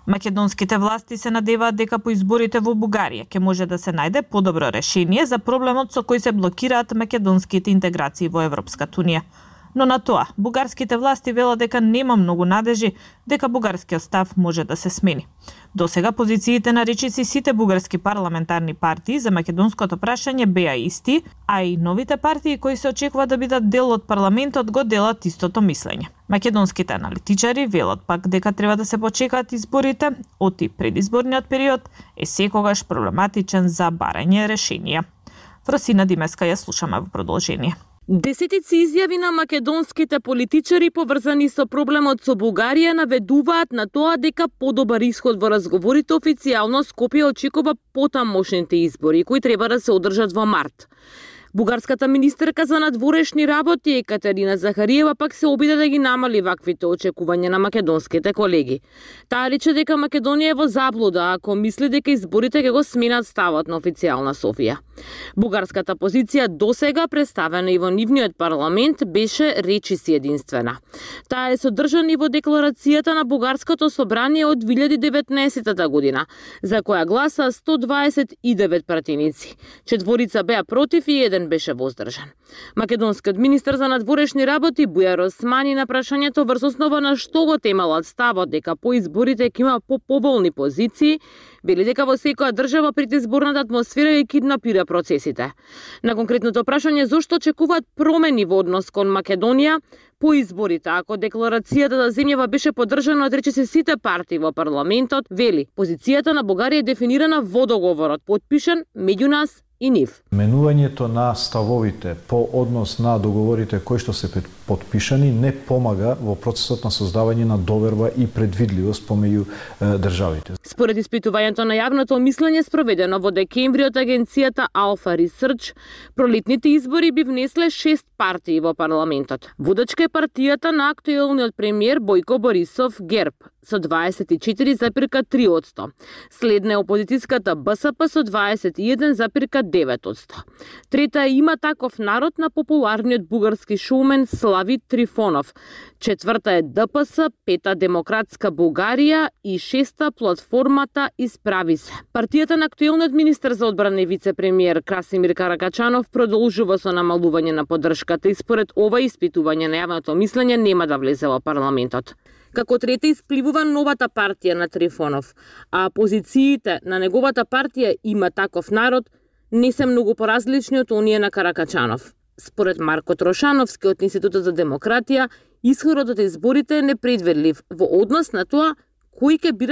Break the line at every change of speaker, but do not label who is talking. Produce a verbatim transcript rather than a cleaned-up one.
Македонските власти се надеваат дека по изборите во Бугарија ќе може да се најде подобро решение за проблемот со кој се блокираат македонските интеграции во Европската унија. Но на тоа, бугарските власти велат дека нема многу надежи дека бугарскиот став може да се смени. До сега позициите на речиси сите бугарски парламентарни партии за македонското прашање беа исти, а и новите партии кои се очекува да бидат дел од парламентот го делат истото мислење. Македонските аналитичари велат пак дека треба да се почекаат изборите, оти предизборниот период е секогаш проблематичен за барање решенија. Фросина Димеска ја слушаме во продолжение.
Десетици изјави на македонските политичари поврзани со проблемот со Бугарија наведуваат на тоа дека подобар исход во разговорите официјално Скопје очекува потамошните избори кои треба да се одржат во март. Бугарската министерка за надворешни работи Екатерина Захариева пак се обиде да ги намали ваквите очекувања на македонските колеги. Таа рече дека Македонија е во заблуда ако мисли дека изборите ќе го сменат ставот на официјална Софија. Бугарската позиција досега представена и во нивниот парламент беше речиси единствена. Таа е содржана и во декларацијата на Бугарското собрание од две илјади и деветнаесетта година, за која гласа сто дваесет и девет пратеници. Четворица беа против и еден беше воздржан. Македонскиот министер за надворешни работи Бујар Османи на прашањето врз основа на што го темалат ставот дека по изборите ќе има по-поволни позиции, вели дека во секоја држава предизборната атмосфера ја киднапира процесите. На конкретното прашање зошто очекуваат промени во однос кон Македонија по изборите, ако декларацијата за земјава беше поддржана од речиси сите партии во парламентот, вели позицијата на Бугарија е дефинирана во договорот, подпишан меѓу нас и нив.
Менувањето на ставовите по однос на договорите кои што се подпишани не помага во процесот на создавање на доверба и предвидливост помеѓу државите.
Според испитувањето на јавното мислење спроведено во декември од агенцијата Alpha Research, пролетните избори би внесле шест партии во парламентот. Водачка е партијата на актуелниот премиер Бојко Борисов ГЕРБ со дваесет и четири зарез три одсто. Следна е опозицијската БСП со дваесет и еден зарез девет одсто. Трета е Има таков народ на популарниот бугарски шоумен Слави Трифонов. Четврта е ДПС, пета Демократска Бугарија и шеста платформата Исправи се. Партијата на актуелниот министер за одбрана и вице-премиер Красимир Каракачанов продолжува со намалување на поддршката и според ова испитување на јавното мислење нема да влезе во парламентот. Како трета испливува новата партија на Трифонов, а позициите на неговата партија Има таков народ не се многу поразлични од оние на Каракачанов. Според Марко Трошановски од Институтот за демократија, исходот од изборите е непредвидлив во однос на тоа кои ќе бидат